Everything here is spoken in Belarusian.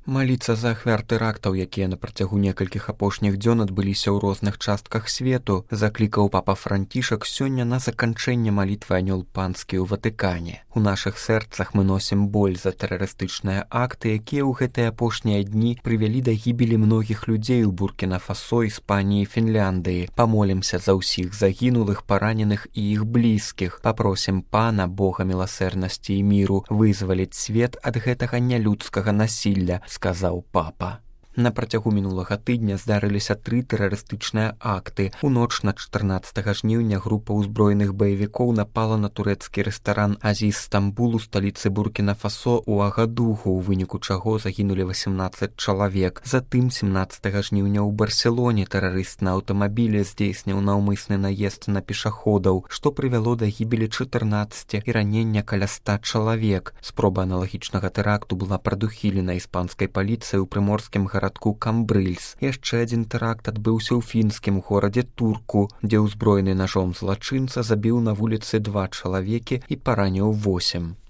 Маліцца за ахвяр тэрактаў, якія на працягу некалькіх апошніх дзён адбыліся ў розных частках свету, заклікаў папа Францішак сёння на заканчэнне малітвы анёл панскі ў Ватыкане. У нашых сэрцах мы носім боль за тэрарыстычныя акты, якія ў гэтыя апошнія дні прывялі да гібелі многіх людзей у Буркіна-Фасо, Іспаніі, Фінляндыі. Памолімся за ўсіх загінулых, параненых і іх блізкіх. Папросім Пана, Бога міласэрнасці і міру, вызваліць свет ад гэтага нялюдскага насілля, сказаў папа. На працягу мінулага тыдня здарыліся 3 тэрарыстычныя акты. У ноч на 14 жніўня група ўзброеных баевікоў напала на турэцкі рэстаран Азіз Стамбул у сталіцы Буркіна-Фасо ў Агадугу, у выніку чаго загінулі 18 чалавек. Затым 17 жніўня ў Барселоне тэрарыст на аўтамабілі здзейсніў наўмысны наезд на пешаходаў, што прывяло да гібелі 14 і ранення каля 100 чалавек. Спроба аналагічнага тэракту была прадухілена іспанскай паліцыяй у прыморскім гарадку Камбрыльс. Яшчэ адзін тэракт адбыўся ў фінскім горадзе Турку, дзе ўзброены нажом злачынца забіў на вуліцы 2 чалавекі і параніў 8.